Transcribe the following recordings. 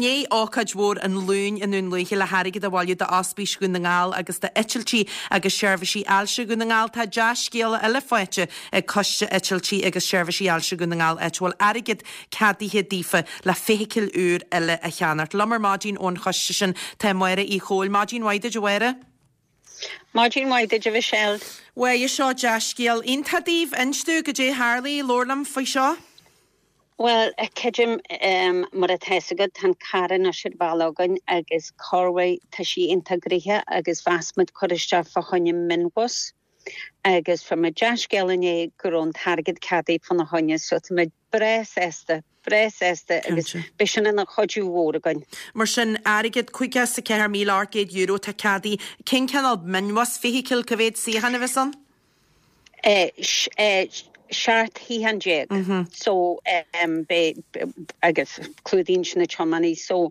I ndiaidh ócáid mhór an Luain i nDún Lúiche le hairgead a bhailiú d'Ospís Dhún na nGall agus d'Eitiltí agus Seirbhísí Ailse Dhún na nGall, tá dea-scéala eile faighte ag Coiste Eitiltí agus Seirbhísí Ailse Dhún na nGall áit a bhfuil airgead ceadaithe daofa le feithicil úr eile a cheannacht. Liom ar maidin ón choiste sin tá Máire Uí Chomhaill. Maidin mhaith duit, a Mháire. Maidin mhaith duit, a Mhichelle. Mháire, seo dea-scéal iontach daoibh. Inis dúinn goidé tharlaigh, labhair liom faoi seo. Bhuel, creidim, mar atá fhios agat, tá an carr anois ar bhealach againn agus corruair tá sí iontach gnoitheach agus mheas muid cur isteach fá choinne mionbhus agus fuair muid dea-scéala inné go raibh an t-airgead ceadaithe fána choinne so tá muid breá sásta, breá sásta agus beidh sin ina chuidiú mhór againn. Mar sin, airgead €54,800 atá ceadaithe. Cén cineál mionbhus, feithicil, cá mhéad suíochán a bheas ann? 17 shuíochán so beidh agus clúdaíonn sin na tiománaí so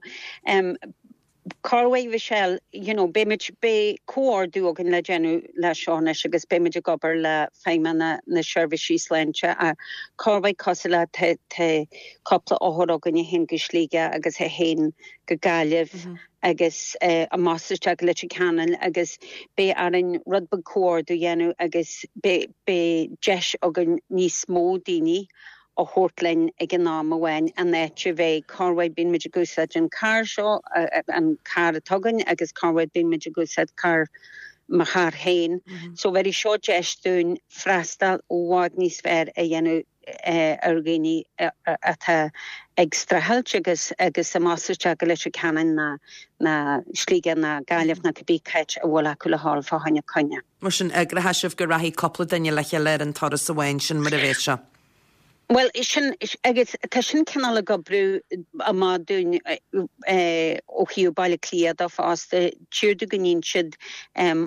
corruair Mhichelle you know beidh muid beidh comhordú againn le déanamh le seo anois agus beidh muid ag obair le feidhmeanna na seirbhísí sláinte ach corruair cosúil le tá tá cúpla othar againn a théann go Sligeach agus a théann go Gaillimh agus amach is isteach go Leitir Ceanainn agus beidh orainn rud beag comhordú a dhéanamh agus beidh deis againn níos mó daoine a thabhairt linn ag an am amháin in áit a bheith corruair bíonn muid ag úsáid an carr seo, an carr atá againn agus corruair bíonn muid ag úsáid carr mo charr féin. So bhéarfaidh seo deis dúinn freastal i bhfad níos fearr a dhéanamh ar dhaoine atá ag streachailt agus agus amach is isteach go Leitir Ceanainn ná ná Sligeach ná Gaillimh ná cibé cáit a bhfuil acu le dhul fá choinne coinne. Mar sin, eagróidh sibh go rachaidh cúpla duine le chéile ar an turas amháin sin mar a bheas sé. Bhuel, sin, agus tá sin cineál ag oibriú amach dúinn ó thaobh Baile Átha Cliath de fosta, tíortha go mbíonn siad,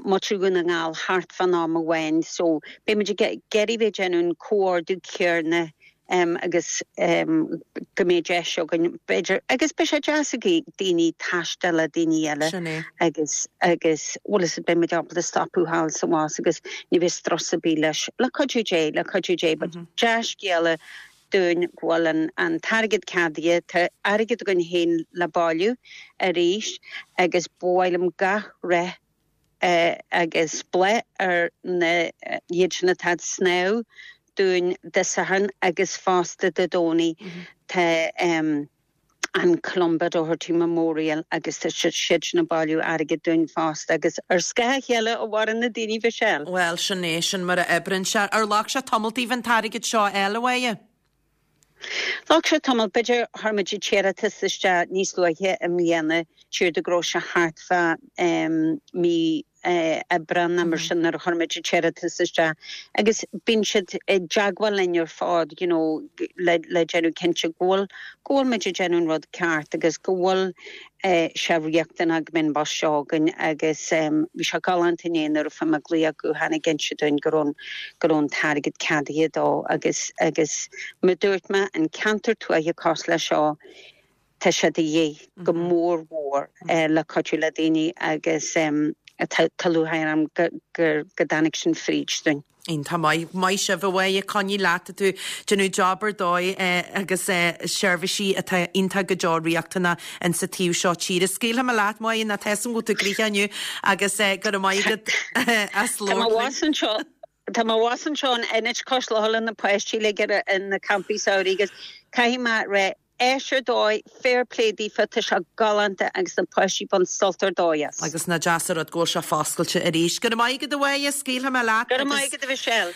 muintir Dhún na nGall thart fán am amháin so beidh muid ag iarraidh bheith ag déanamh an comhordú céarna agus go mbeidh deis againn b'fhéidir agus beidh sé deas ag daoine taisteal le daoine eile Sin é. agus agus bhfuil fhios agat beidh muid ábalta stopadh thall sa bhus agus ní bheidh strus ar bith leis le cuidiú Dé le cuidiú Dé but dea-scéala dúinn go bhfuil an an t-airgead ceadaithe tá airgead againn féin le bailiú arís agus ba mhaith liom gach rath agus bláth ar na iad sin atá ag snámh dúinn Dé Sathairn agus fosta Dé Domhnaigh. Tá an Columba Doherty Memorial agus tá siad sin ag bailiú airgid dúinn fosta agus ar scáth a chéile a mhaireann na daoine Mhichelle. Bhuel, sin é, sin mar a oibreann sé. Ar ghlac sé tamall daoibh an t-airgead seo a fháil, a Mháire? Ghlac sé tamall, b'fhéidir chuir muid an t-iarratas isteach níos luaithe i mbliana, tíortha go raibh sé thart fá mí Aibreán nó mar sin nuair a chuir muid an t-iarratas isteach agus bíonn siad i dteagmháil linn ar fad you know le le déanamh cinnte go bhfuil go bhfuil muid ag déanamh an rud ceart agus go bhfuil sé riachtanach go mbeidh an bus seo againn agus bhí sé galánta inné nuair a fuair mé glaoch gutháin ag inse dúinn go raibh go raibh an t-airgead ceadaithe dó agus agus mar dúirt mé an ceantar tuaithe cosúil le seo tá sé de dhíth go mór mhór le cuidiú le daoine agus tá tá lúcháir orm go go go dtáinig sin fríd dúinn. Iontach maith. Maith sibh a Mháire, coinnigh leat, tá tú ag déanamh job ar dóigh agus seirbhísí atá iontach go deo riachtanach in sa taobh seo tíre. Scaoilfidh mé leat, Máire, nó tá 'fhios a'm go bhfuil tú gnoitheach inniu agus go raibh maith agat as Tá mo labhairt linn. bhus anseo, tá mo bhus anseo in Ionad Cois Locha le na páistí uilig ar na campaí samhraidh agus caithfidh mé rá Áis ar dóigh, fair play daofa, tá sé galánta agus na páistí ag baint sult ar dóigh as. Agus nach deas an rud go bhfuil sé foscailte arís. Go raibh maith agat a Mháire, scaoilfidh mé leat Go raibh maith agat a Mhichelle.